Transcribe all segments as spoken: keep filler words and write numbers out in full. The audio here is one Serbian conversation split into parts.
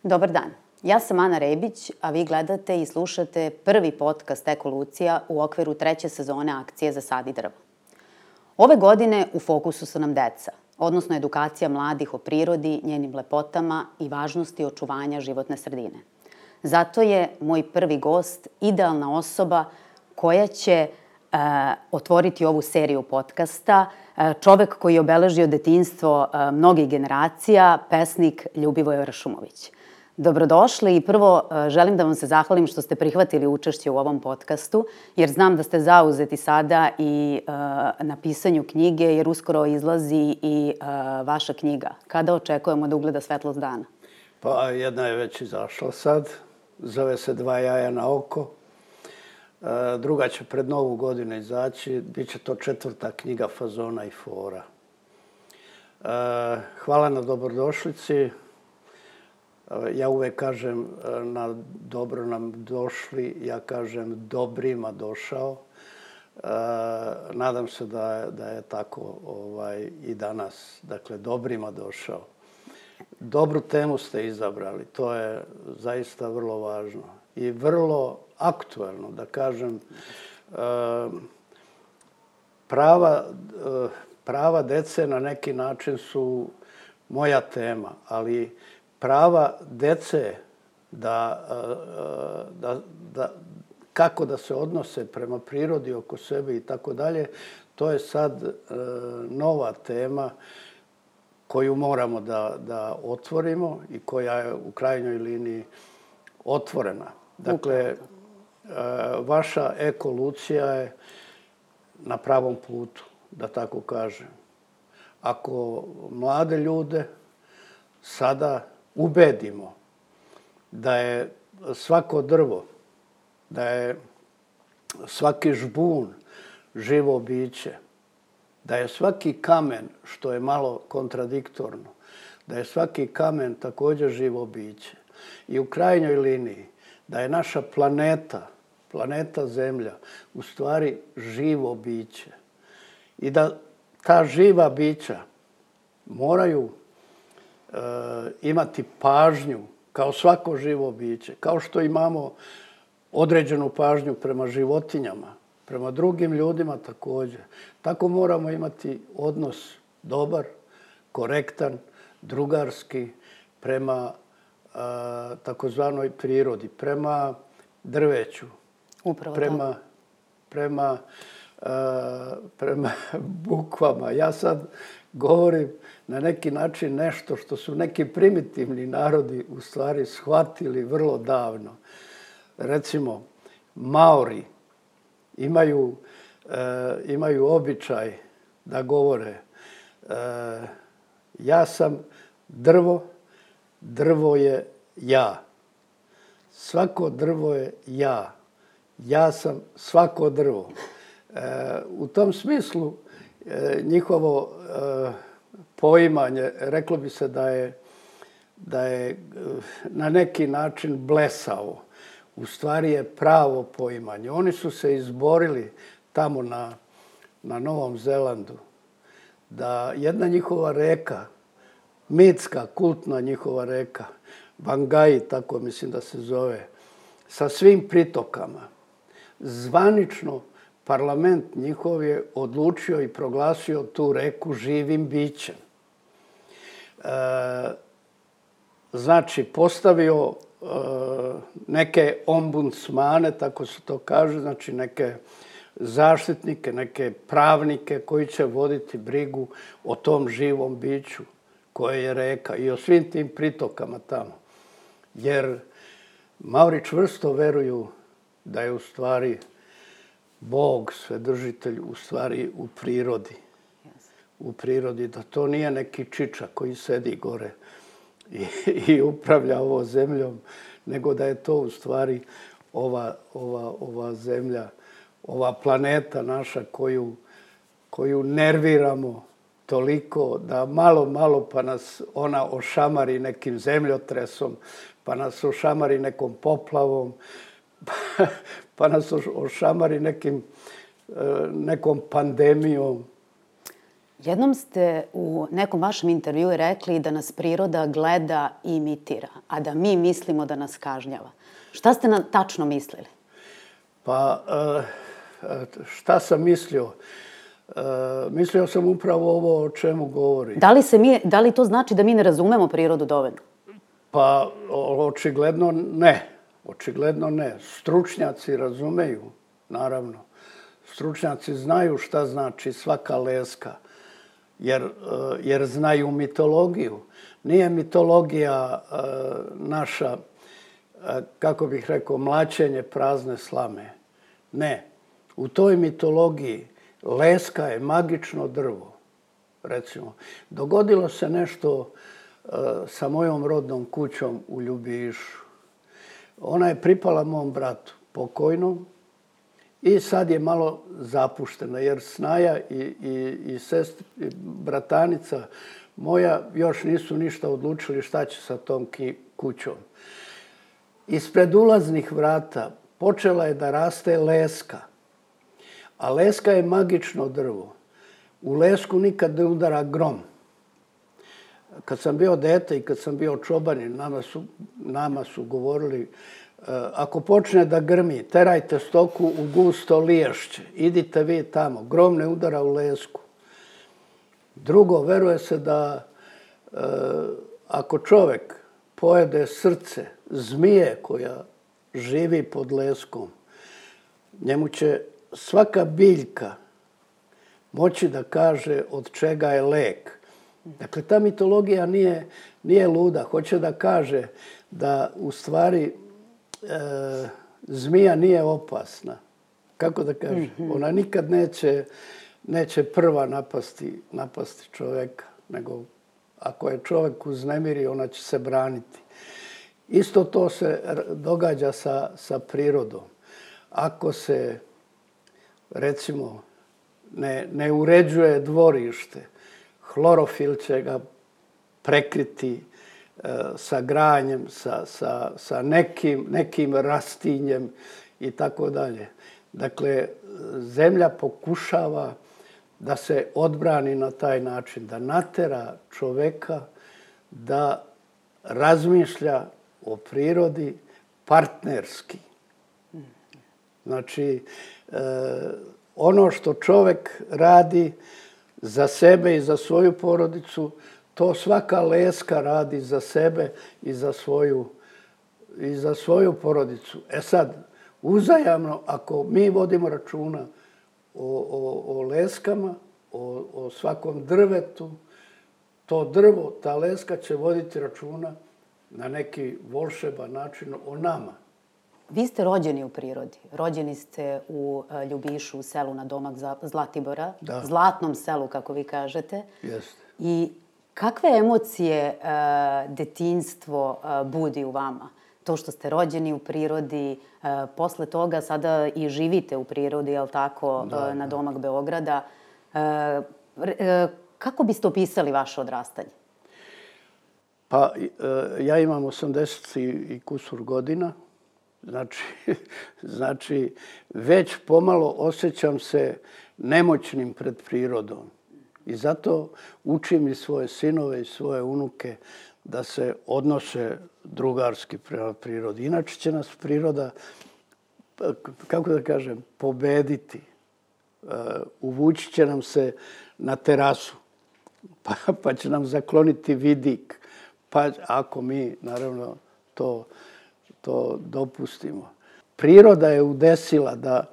Dobar dan, ja sam Ana Rebić, a vi gledate i slušate prvi podcast Ekolucija u okviru treće sezone akcije Zasadi drvo. Ove godine u fokusu su nam deca, odnosno edukacija mladih o prirodi, njenim lepotama i važnosti očuvanja životne sredine. Zato je moj prvi gost idealna osoba koja će uh, otvoriti ovu seriju podcasta, uh, čovek koji je obeležio detinjstvo uh, mnogih generacija, pesnik Ljubivoje Ršumović. Dobrodošli i prvo želim da vam se zahvalim što ste prihvatili učešće u ovom podcastu, jer znam da ste zauzeti sada i uh, na pisanju knjige, jer uskoro izlazi i uh, vaša knjiga. Kada očekujemo da ugleda svetlost dana? Pa jedna je već izašla sad, zove se Dva jaja na oko. Uh, druga će pred Novu godinu izaći, bit će to četvrta knjiga Fazona i fora. Uh, hvala na dobrodošlici. Ja uvek kažem na dobro nam došli, ja kažem dobrima došao. E, nadam se da je, da je tako ovaj, i danas. Dakle, dobrima došao. Dobru temu ste izabrali, to je zaista vrlo važno. I vrlo aktuelno, da kažem, e, prava, e, prava dece na neki način su moja tema, ali prava dece da, da, da, kako da se odnose prema prirodi oko sebe i tako dalje, to je sad e, nova tema koju moramo da, da otvorimo i koja je u krajnjoj liniji otvorena. Dakle, e, vaša ekolucija je na pravom putu, da tako kažem. Ako mlade ljude sada ubedimo da je svako drvo, da je svaki žbun živo biće, da je svaki kamen, što je malo kontradiktorno, da je svaki kamen također živo biće. I u krajnjoj liniji da je naša planeta, planeta Zemlja, u stvari živo biće. I da ta živa bića moraju E, imati pažnju kao svako živo biće, kao što imamo određenu pažnju prema životinjama, prema drugim ljudima također. Tako moramo imati odnos dobar, korektan, drugarski prema e, takozvanoj prirodi, prema drveću, Upravo prema, prema, e, prema bukvama. Ja sad govorim na neki način nešto što su neki primitivni narodi u stvari shvatili vrlo davno. Recimo, Maori imaju, e, imaju običaj da govore e, ja sam drvo, drvo je ja. Svako drvo je ja. Ja sam svako drvo. E, u tom smislu e, njihovo e, poimanje, reklo bi se da je, da je na neki način blesavo. U stvari je pravo poimanje. Oni su se izborili tamo na, na Novom Zelandu da jedna njihova reka, mitska, kultna njihova reka, Vangai, tako mislim da se zove, sa svim pritokama, zvanično parlament njihov je odlučio i proglasio tu reku živim bićem. E, znači, postavio e, neke ombudsmane, tako se to kaže, znači neke zaštitnike, neke pravnike koji će voditi brigu o tom živom biću koje je reka i o svim tim pritokama tamo. Jer Maori čvrsto veruju da je u stvari Bog, Svedržitelj, u stvari u prirodi. U prirodi, da to nije neki čiča koji sedi gore i, i upravlja ovo zemljom, nego da je to u stvari ova, ova, ova zemlja, ova planeta naša koju, koju nerviramo toliko da malo, malo pa nas ona ošamari nekim zemljotresom, pa nas ošamari nekom poplavom, pa, pa nas ošamari nekim, nekom pandemijom. Jednom ste u nekom vašem intervjuu rekli da nas priroda gleda i imitira, a da mi mislimo da nas kažnjava. Šta ste na, tačno mislili? Pa, šta sam mislio? Mislio sam upravo ovo o čemu govori. Da li, se mi, da li to znači da mi ne razumemo prirodu dovoljno? Pa, očigledno ne. Očigledno ne. Stručnjaci razumeju, naravno. Stručnjaci znaju šta znači svaka leska, jer, jer znaju mitologiju. Nije mitologija naša, kako bih rekao, mlaćenje prazne slame. Ne. U toj mitologiji leska je magično drvo, recimo. Dogodilo se nešto sa mojom rodnom kućom u Ljubišu. Ona je pripala mom bratu, pokojnom, i sad je malo zapuštena, jer snaja i, i, i, sest, i bratanica moja još nisu ništa odlučili šta će sa tom ki, kućom. Ispred ulaznih vrata počela je da raste leska. A leska je magično drvo. U lesku nikad ne udara grom. Kad sam bio dete i kad sam bio čobanin, nama su, nama su govorili ako počne da grmi, terajte stoku u gusto liješće. Idite vi tamo. Grom ne udara u lesku. Drugo, veruje se da e, ako čovjek pojede srce zmije koja živi pod leskom, njemu će svaka biljka moći da kaže od čega je lek. Dakle, ta mitologija nije, nije luda. Hoće da kaže da u stvari e, zmija nije opasna. Kako da kažem? Mm-hmm. Ona nikad neće, neće prva napasti, napasti čovjeka, nego ako je čovjek uznemiri, ona će se braniti. Isto to se događa sa, sa prirodom. Ako se, recimo, ne, ne uređuje dvorište, hlorofil će ga prekriti e, sa granjem, sa, sa, sa nekim, nekim rastinjem i tako dalje. Dakle, zemlja pokušava da se odbrani na taj način, da natera čoveka da razmišlja o prirodi partnerski. Znači, e, ono što čovek radi za sebe i za svoju porodicu, to svaka leska radi za sebe i za svoju, i za svoju porodicu. E sad, uzajamno, ako mi vodimo računa o, o, o leskama, o, o svakom drvetu, to drvo, ta leska će voditi računa na neki volšeban način o nama. Vi ste rođeni u prirodi. Rođeni ste u Ljubišu, u selu na domak Zlatibora, da. Zlatnom selu, kako vi kažete. Jeste. I kakve emocije uh, detinjstvo uh, budi u vama? To što ste rođeni u prirodi, uh, posle toga sada i živite u prirodi, jel tako, da, uh, na domak Beograda. Uh, uh, kako biste opisali vaše odrastanje? Pa, uh, ja imam osamdeset i kusur godina. Znači, znači, već pomalo osjećam se nemoćnim pred prirodom. I zato učim i svoje sinove i svoje unuke da se odnose drugarski prema prirodi. Inače će nas priroda, kako da kažem, pobediti. Uvući će nam se na terasu, pa, pa će nam zakloniti vidik. Pa ako mi, naravno, to... to dopustimo. Priroda je udesila da,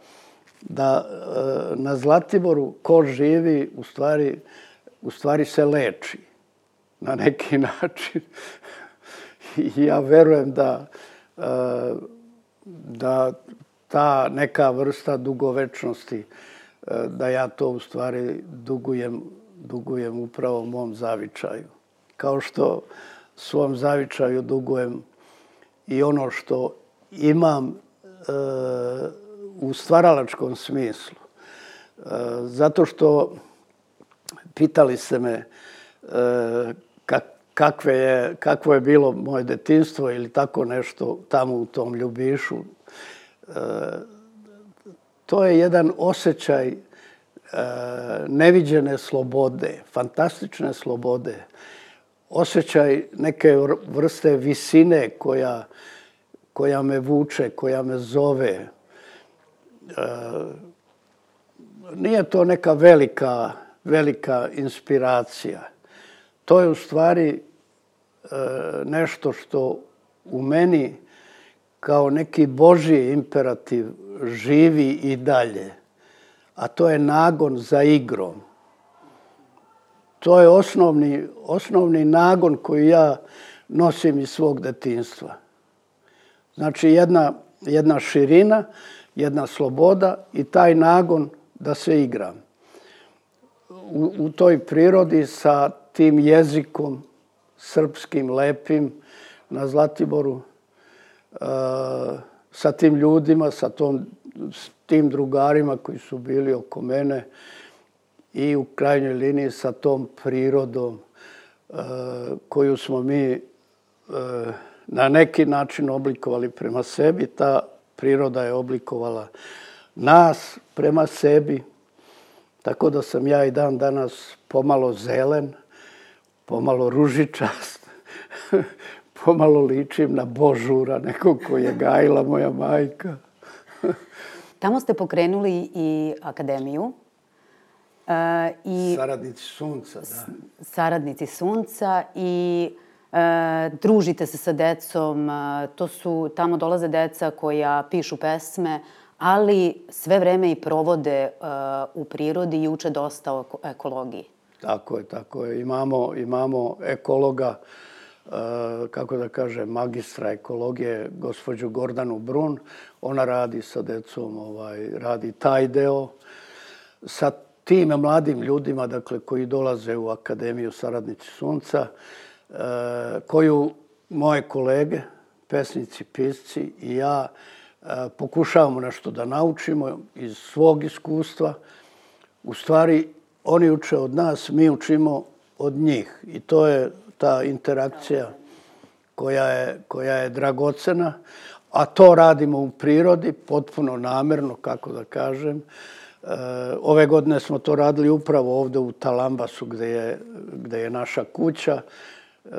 da na Zlatiboru ko živi u stvari, u stvari se leči na neki način. I ja verujem da, da ta neka vrsta dugovečnosti, da ja to u stvari dugujem, dugujem upravo mom zavičaju. Kao što svom zavičaju dugujem i ono što imam e, u stvaralačkom smislu. E, zato što pitali ste me e, kak, kakve je, kakvo je bilo moje detinjstvo ili tako nešto tamo u tom Ljubišu. E, to je jedan osjećaj neviđene slobode, fantastične slobode, osjećaj neke vrste visine koja, koja me vuče, koja me zove. Nije to neka velika, velika inspiracija. To je u stvari nešto što u meni kao neki Božji imperativ živi i dalje. A to je nagon za igrom. To je osnovni, osnovni nagon koji ja nosim iz svog detinjstva. Znači jedna, jedna širina, jedna sloboda i taj nagon da se igram. U, u toj prirodi sa tim jezikom srpskim, lepim na Zlatiboru, sa tim ljudima, sa tom, s tim drugarima koji su bili oko mene i u krajnjoj liniji sa tom prirodom koju smo mi na neki način oblikovali prema sebi. Ta priroda je oblikovala nas prema sebi, tako da sam ja i dan danas pomalo zelen, pomalo ružičast, pomalo ličim na Božura, nekog koji je gajila moja majka. Tamo ste pokrenuli i akademiju. E, i Saradnici sunca, da. Saradnici sunca i e, družite se sa decom. To su, tamo dolaze deca koja pišu pesme, ali sve vreme i provode e, u prirodi i uče dosta o ekologiji. Tako je, tako je. Imamo, imamo ekologa, kako da kažem, magistra ekologije, gospođu Gordanu Brun. Ona radi sa decom, ovaj, radi taj deo. Sa tim mladim ljudima, dakle, koji dolaze u Akademiju Saradnici sunca, koju moje kolege, pesnici, pisci i ja pokušavamo nešto da naučimo iz svog iskustva. U stvari, oni uče od nas, mi učimo od njih. I to je ta interakcija koja je, koja je dragocena, a to radimo u prirodi, potpuno namerno, kako da kažem. E, ove godine smo to radili upravo ovde u Talambasu, gde je, gde je naša kuća. E,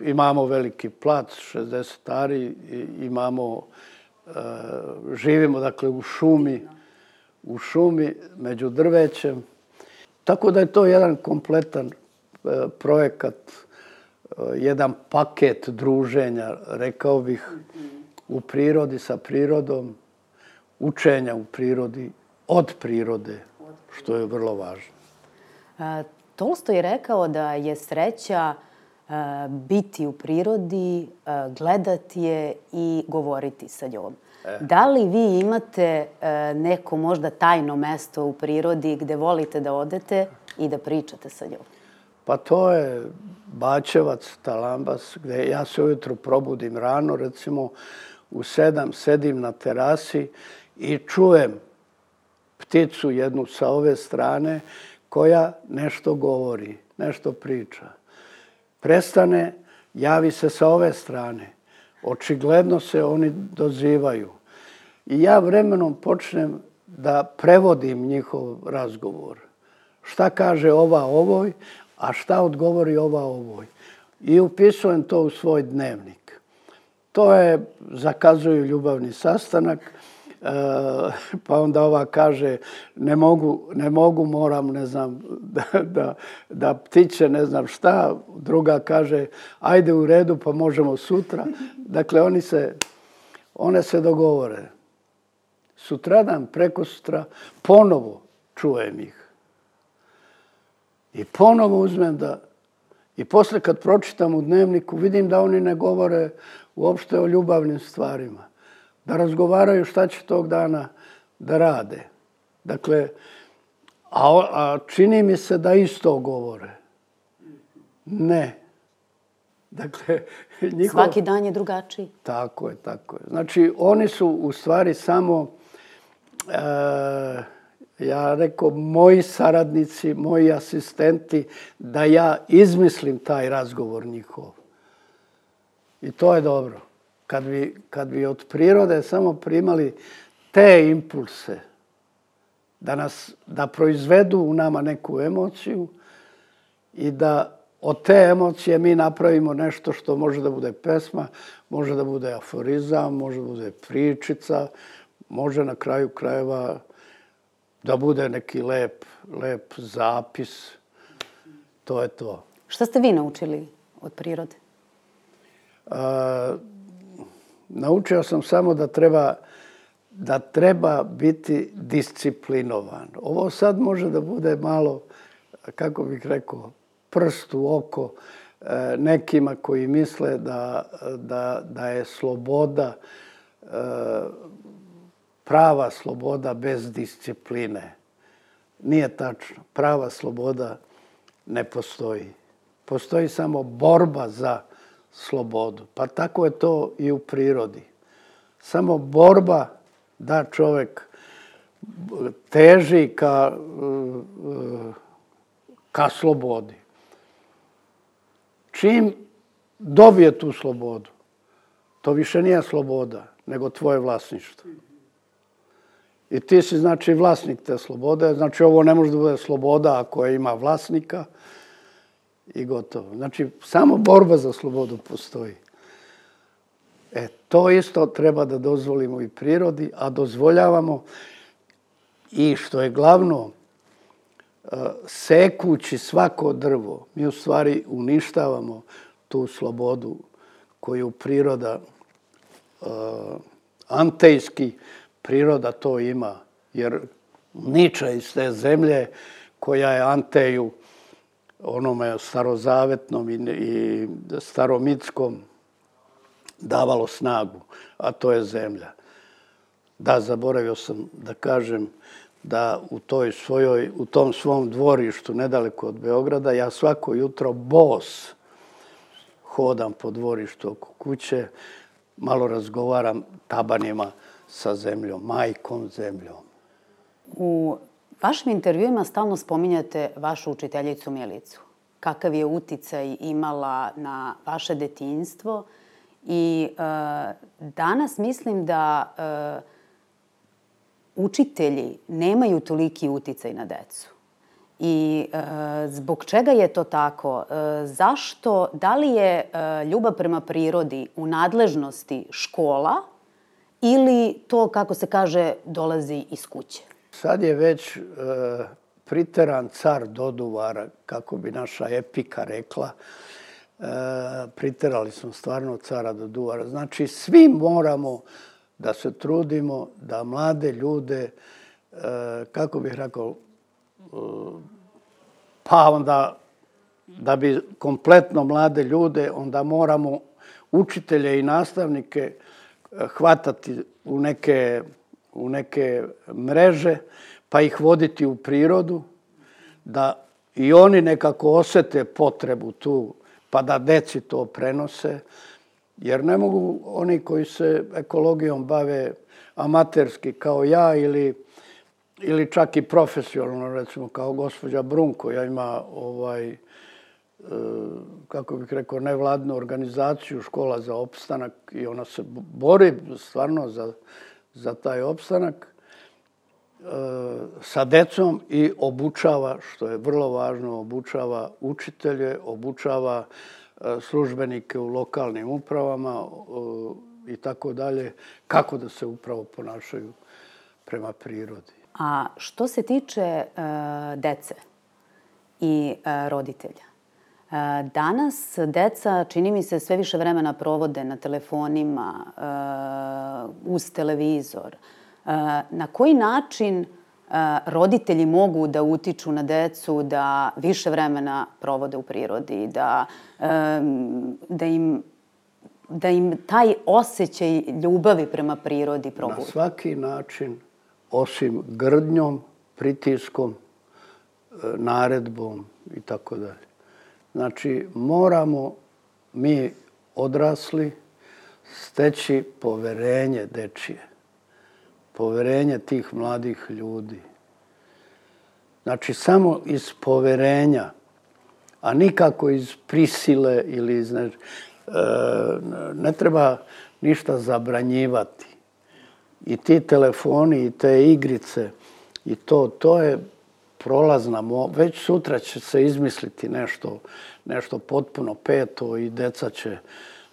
imamo veliki plac, šezdeset ari, imamo, e, živimo dakle u šumi, u šumi među drvećem. Tako da je to jedan kompletan projekat, jedan paket druženja, rekao bih, u prirodi, sa prirodom, učenja u prirodi, od prirode, što je vrlo važno. Tolstoj je rekao da je sreća biti u prirodi, gledati je i govoriti sa njom. E. Da li vi imate neko možda tajno mesto u prirodi gde volite da odete i da pričate sa njom? Pa to je Bačevac, Talambas, gde ja se ujutro probudim rano, recimo u sedam, sedim na terasi i čujem pticu jednu sa ove strane koja nešto govori, nešto priča. Prestane, javi se sa ove strane. Očigledno se oni dozivaju. I ja vremenom počnem da prevodim njihov razgovor. Šta kaže ova ovoj, a šta odgovori ova ovoj. I upisujem to u svoj dnevnik. To je, zakazuju ljubavni sastanak, pa onda ova kaže ne mogu, ne mogu, moram, ne znam, da, da, da ptiće, ne znam šta. Druga kaže ajde u redu, pa možemo sutra. Dakle, oni se, one se dogovore. Sutradan, prekosutra, ponovo čujem ih. I ponovo uzmem da, i posle kad pročitam u dnevniku, vidim da oni ne govore uopšte o ljubavnim stvarima. Da razgovaraju šta će tog dana da rade. Dakle, a, a čini mi se da isto govore. Ne. Dakle, njihov... Svaki dan je drugačiji. Tako je, tako je. Znači, oni su u stvari samo, e, ja rekao, moji saradnici, moji asistenti, da ja izmislim taj razgovor njihov. I to je dobro. Kad bi, kad bi od prirode samo primali te impulse, da, nas, da proizvedu u nama neku emociju i da od te emocije mi napravimo nešto što može da bude pesma, može da bude aforizam, može da bude pričica, može na kraju krajeva da bude neki lep, lep zapis. To je to. Šta ste vi naučili od prirode? A, naučio sam samo da treba, da treba biti disciplinovan. Ovo sad može da bude malo, kako bih rekao, prst u oko nekima koji misle da, da, da je sloboda, prava sloboda bez discipline. Nije tačno. Prava sloboda ne postoji. Postoji samo borba za slobodu. Pa tako je to i u prirodi. Samo borba da čovjek teži ka, ka slobodi. Čim dobije tu slobodu, to više nije sloboda, nego tvoje vlasništvo. I ti si, znači, vlasnik te slobode. Znači, ovo ne može da bude sloboda ako ima vlasnika i gotovo. Znači, samo borba za slobodu postoji. E, to isto treba da dozvolimo i prirodi, a dozvoljavamo i, što je glavno, sekući svako drvo, mi u stvari uništavamo tu slobodu koju priroda, antejski priroda to ima. Jer niče iz te zemlje koja je Anteju, onome starozavetnom i staromitskom, davalo snagu, a to je zemlja. Da, zaboravio sam da kažem da u toj svojoj, u tom svom dvorištu nedaleko od Beograda ja svako jutro bos hodam po dvorištu oko kuće, malo razgovaram tabanima sa zemljom, majkom zemljom. U vašim intervjuima stalno spominjate vašu učiteljicu Milicu. Kakav je uticaj imala na vaše detinjstvo i e, danas mislim da e, učitelji nemaju toliki uticaj na decu. I e, zbog čega je to tako? E, zašto? Da li je e, ljubav prema prirodi u nadležnosti škola ili to, kako se kaže, dolazi iz kuće? Sad je već e, priteran car Doduvara, kako bi naša epika rekla. E, priterali smo stvarno cara Doduvara. Znači, svi moramo da se trudimo da mlade ljude, kako bih rekao, pa onda da bi kompletno mlade ljude, onda moramo učitelje i nastavnike hvatati u neke, u neke mreže, pa ih voditi u prirodu, da i oni nekako osete potrebu tu, pa da deci to prenose. Jer ne mogu oni koji se ekologijom bave amaterski kao ja ili, ili čak i profesionalno, recimo kao gospođa Brun, koja ima ovaj, kako bih rekao, nevladnu organizaciju Škola za opstanak i ona se bori stvarno za, za taj opstanak sa decom i obučava, što je vrlo važno, obučava učitelje, obučava službenike u lokalnim upravama i tako dalje, kako da se upravo ponašaju prema prirodi. A što se tiče uh, dece i uh, roditelja, uh, danas deca, čini mi se, sve više vremena provode na telefonima, uh, uz televizor. Uh, na koji način roditelji mogu da utiču na decu da više vremena provode u prirodi, da, da, im, da im taj osjećaj ljubavi prema prirodi probude? Na svaki način, osim grdnjom, pritiskom, naredbom i tako dalje. Znači, moramo mi odrasli steći poverenje dečije. Poverenje tih mladih ljudi. Znači, samo iz poverenja, a nikako iz prisile ili iz... Ne, ne treba ništa zabranjivati. I ti telefoni i te igrice I to, to je prolazna, već sutra će se izmisliti nešto, nešto potpuno peto i deca će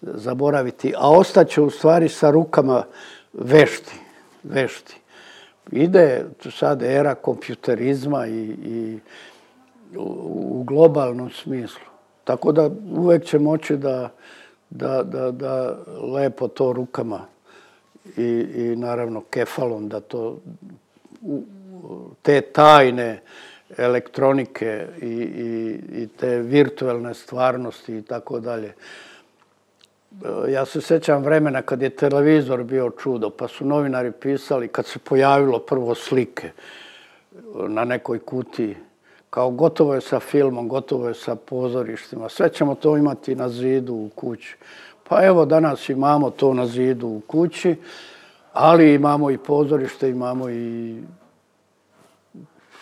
zaboraviti, a ostaće u stvari sa rukama vešti, vešti. Ide sad era kompjuterizma i, i u globalnom smislu. Tako da uvek će moći da, da, da, da lepo to rukama i, i naravno kefalom da to te tajne elektronike i, i, i te virtualne stvarnosti i tako dalje. Ja se sjećam vremena kad je televizor bio čudo, pa su novinari pisali kad se pojavilo prvo slike na nekoj kutiji, kao gotovo je sa filmom, gotovo je sa pozorištima, sve ćemo to imati na zidu u kući. Pa evo danas imamo to na zidu u kući, ali imamo i pozorište, imamo i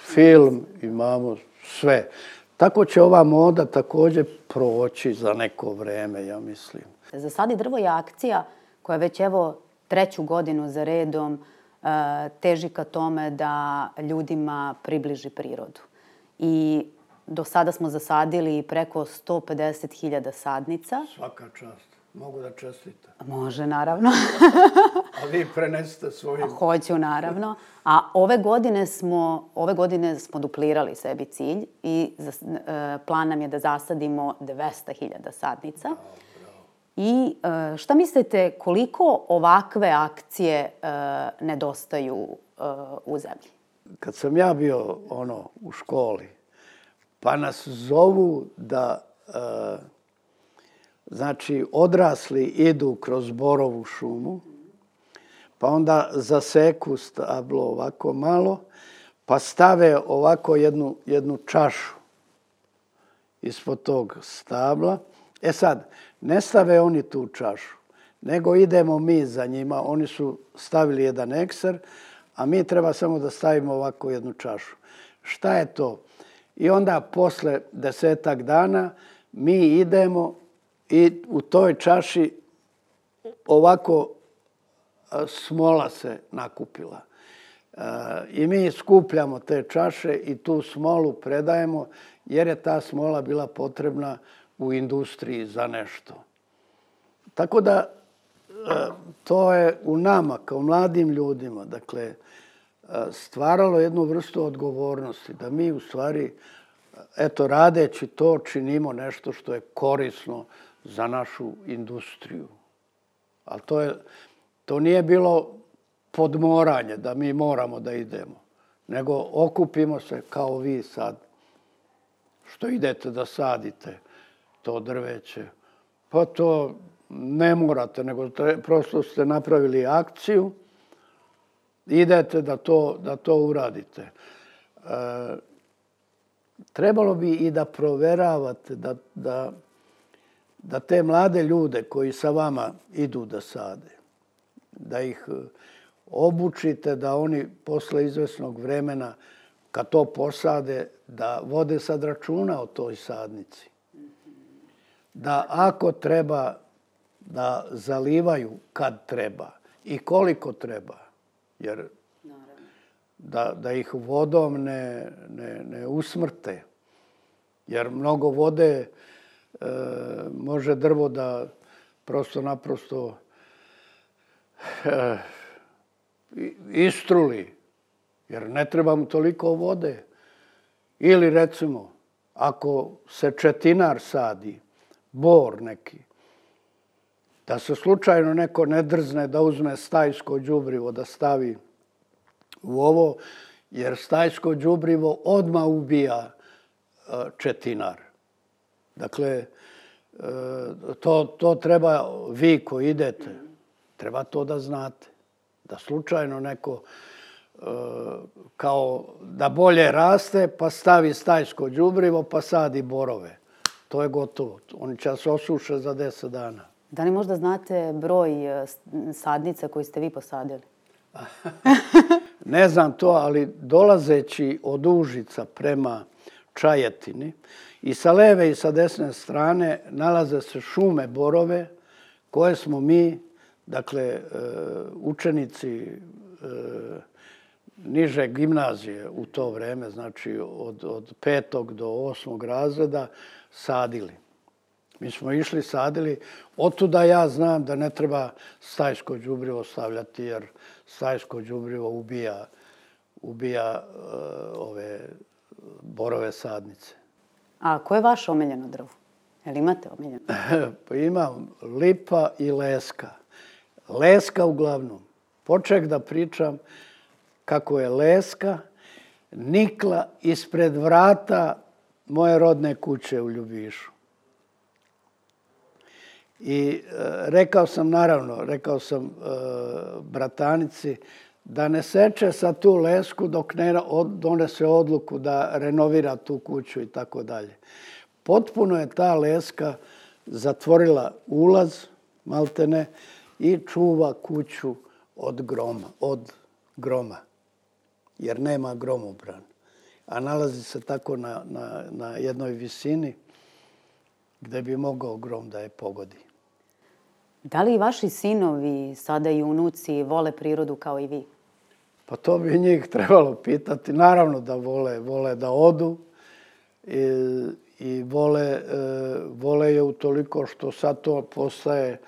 film, imamo sve. Tako će ova moda također proći za neko vreme, ja mislim. Zasadi drvo je akcija koja već evo treću godinu za redom teži ka tome da ljudima približi prirodu. I do sada smo zasadili preko sto pedeset hiljada sadnica. Svaka čast. Mogu da čestitam. Može, naravno. A vi prenesite svojim. Hoću, naravno. A ove godine smo, ove godine smo duplirali sebi cilj i plan nam je da zasadimo dvesta hiljada sadnica. I šta mislite koliko ovakve akcije nedostaju u zemlji? Kad sam ja bio ono u školi, pa nas zovu da znači odrasli idu kroz borovu šumu, pa onda zaseku stablo ovako malo, pa stave ovako jednu, jednu čašu ispod tog stabla. E sad, ne stave oni tu čašu, nego idemo mi za njima. Oni su stavili jedan ekser, a mi treba samo da stavimo ovako jednu čašu. Šta je to? I onda posle desetak dana mi idemo i u toj čaši ovako smola se nakupila. I mi skupljamo te čaše i tu smolu predajemo jer je ta smola bila potrebna u industriji za nešto. Tako da to je u nama kao mladim ljudima, dakle, stvaralo jednu vrstu odgovornosti da mi u stvari, eto, radeći to činimo nešto što je korisno za našu industriju. Ali to je, to nije bilo podmoranje da mi moramo da idemo, nego okupimo se kao vi sad, što idete da sadite to drveće. Pa to ne morate, nego prosto ste napravili akciju, idete da to, da to uradite. E, trebalo bi i da proveravate da, da, da te mlade ljude koji sa vama idu da sade, da ih obučite da oni posle izvesnog vremena kad to posade, da vode sad računa o toj sadnici. Da ako treba da zalivaju kad treba i koliko treba, jer da, da ih vodom ne, ne, ne usmrte. Jer mnogo vode e, može drvo da prosto naprosto e, istruli, jer ne treba mu toliko vode. Ili recimo, ako se četinar sadi, bor neki, da se slučajno neko ne drzne da uzme stajsko đubrivo da stavi u ovo, jer stajsko đubrivo odmah ubija četinar. Dakle, to, to treba, vi koji idete, treba to da znate. Da slučajno neko kao da bolje raste, pa stavi stajsko đubrivo, pa sadi borove. To je gotovo. Oni će se osuše za deset dana. Da li možda znate broj sadnica koji ste vi posadili? Ne znam to, ali dolazeći od Užica prema Čajetini i sa leve i sa desne strane nalaze se šume borove koje smo mi, dakle, učenici niže gimnazije u to vreme, znači od, od petog do osmog razreda, sadili. Mi smo išli, sadili. Otuda ja znam da ne treba stajsko đubrivo stavljati, jer stajsko đubrivo ubija, ubija uh, ove borove sadnice. A koje je vaše omiljeno drvo? Jel imate omiljeno? Pa imam lipa i leska. Leska uglavnom. Poček da pričam kako je leska nikla ispred vrata moje rodne kuće u Ljubišu. I e, rekao sam, naravno, rekao sam e, bratanici da ne seče sa tu lesku dok ne od, donese odluku da renovira tu kuću i tako dalje. Potpuno je ta leska zatvorila ulaz, maltene, i čuva kuću od groma, od groma, jer nema gromobran. A nalazi se tako na, na, na jednoj visini gde bi mogao grom da je pogodi. Da li i vaši sinovi, sada i unuci, vole prirodu kao i vi? Pa to bi njih trebalo pitati. Naravno da vole, vole da odu i, i vole, e, vole je utoliko što sad to postaje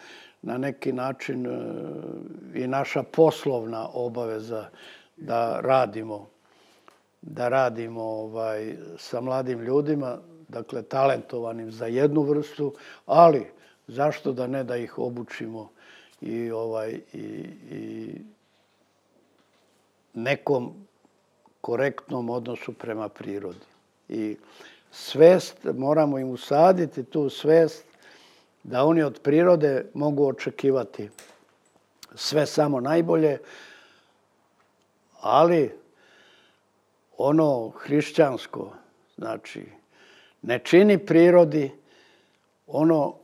na neki način e, i naša poslovna obaveza da radimo, da radimo ovaj, sa mladim ljudima, dakle talentovanim za jednu vrstu, ali zašto da ne da ih obučimo i, ovaj, i, i nekom korektnom odnosu prema prirodi. I svest, moramo im usaditi tu svest da oni od prirode mogu očekivati sve samo najbolje, ali ono hrišćansko, znači, ne čini prirodi ono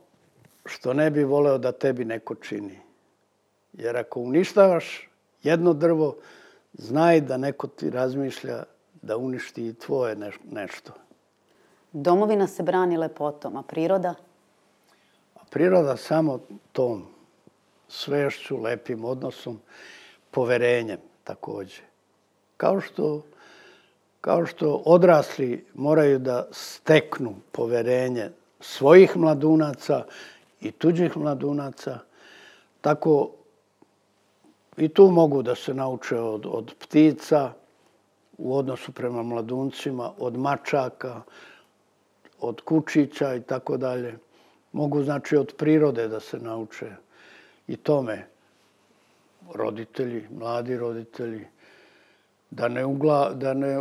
što ne bi voleo da tebi neko čini. Jer ako uništavaš jedno drvo, znaj da neko ti razmišlja da uništi i tvoje nešto. Domovina se brani lepotom, a priroda? A priroda samo tom svešću, lepim odnosom, poverenjem takođe. Kao što, kao što odrasli moraju da steknu poverenje svojih mladunaca i tuđih mladunaca, tako i tu mogu da se nauče od, od ptica u odnosu prema mladuncima, od mačaka, od kučića i tako dalje. Mogu znači od prirode da se nauče i tome roditelji, mladi roditelji, da ne, ugla, da ne,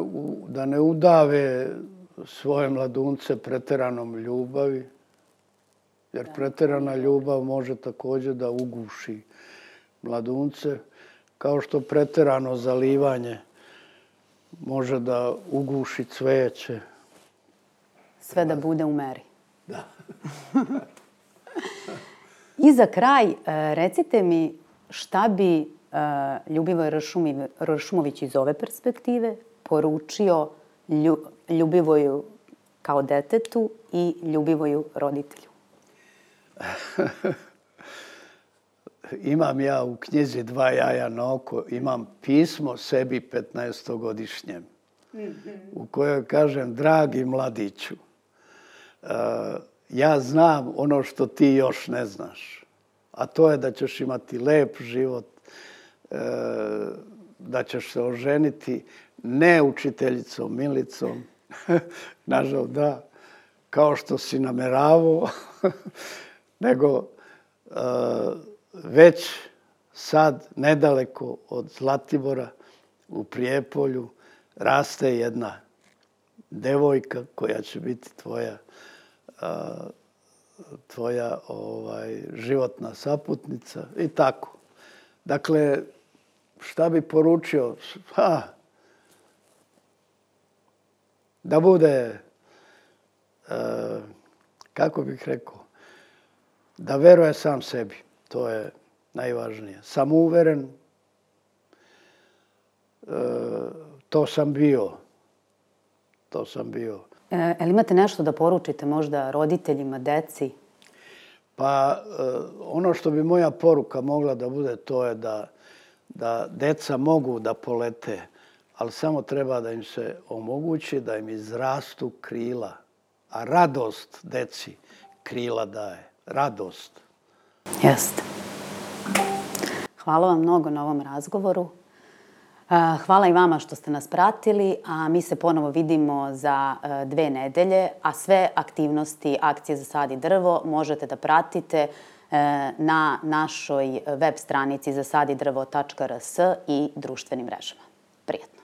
da ne udave svoje mladunce preteranom ljubavi, jer preterana ljubav može također da uguši mladunce, kao što preterano zalivanje može da uguši cveće. Sve da bude u meri. Da. I za kraj, recite mi šta bi Ljubivoj Ršumović iz ove perspektive poručio Ljubivoju kao detetu i Ljubivoju roditelju? Imam ja u knjizi Dva jaja na oko, imam pismo sebi petnaestogodišnjem, u kojoj kažem, dragi mladiću, ja znam ono što ti još ne znaš, a to je da ćeš imati lep život, da ćeš se oženiti ne učiteljicom Milicom, nažal da, kao što si nameravao, nego već sad, nedaleko od Zlatibora, u Prijepolju, raste jedna devojka koja će biti tvoja, tvoja ovaj, životna saputnica i tako. Dakle, šta bi poručio? Ha, da bude, kako bih rekao, da veruje sam sebi. To je najvažnije. Samouveren, to sam bio. To sam bio. E, ali imate nešto da poručite možda roditeljima, deci? Pa ono što bi moja poruka mogla da bude, to je da, da deca mogu da polete ali samo treba da im se omogući da im izrastu krila. A radost deci krila daje. Radost. Jeste. Hvala vam mnogo na ovom razgovoru. Hvala i vama što ste nas pratili, a mi se ponovo vidimo za dve nedelje, a sve aktivnosti Akcije za sad i drvo možete da pratite na našoj web stranici zasadidrvo tačka rs i društvenim mrežama. Prijatno!